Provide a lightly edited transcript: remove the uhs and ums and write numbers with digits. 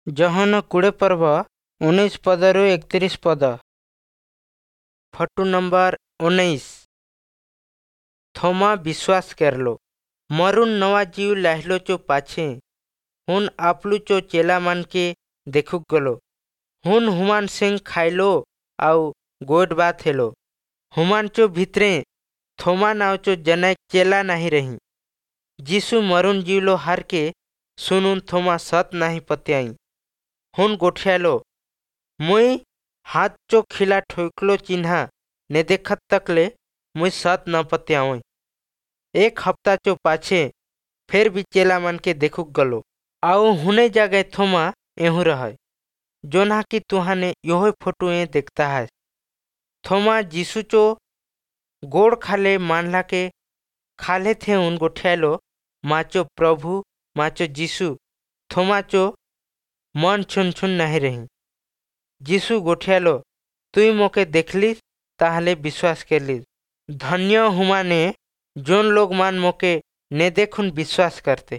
ଯୋହନ 20 ପର୍ବ, 19 ପଦରୁ 31 ପଦ। Photo number 19। ଥୋମା ବିଶ୍ୱାସ କରଲୋ। ମରୁନ୍ ନवा जीव लाहलो पाछे हुन आपलू चो चेला मन के देखुक गलो। हुन हुमान सिंह खाइलो आउ गोड बात हेलो। हुमान चो भितरे थोमा नाव चो जनक चेला नहीं रही। जीसु मरुन जीवलो हार के सुनुन थोमा सत नहीं पत्याई। हुन गोठियालो, मुई हाथ चो खिला ठोकलो चिन्हा ने देखत तकले मुई सत न पत्यावई। एक हफ्ता चो पाछे फिर भी चेला मन के देखुक गलो आउ हुने जगह थोमा एहू रहे, जोना कि तुहाने योह फोटो ए देखता है। थोमा जीसु चो गोड़ खाले मानला के खाले थे उन गोठियालो, माचो प्रभु माचो जीसु। थोमा चो मन छुन छुन नहीं रही। जीसु गोठियालो, तुई मोके देखलिस ताहले विश्वास करलिस। धन्य हुमाने जोन लोग मान मोके ने देखुन विश्वास करते।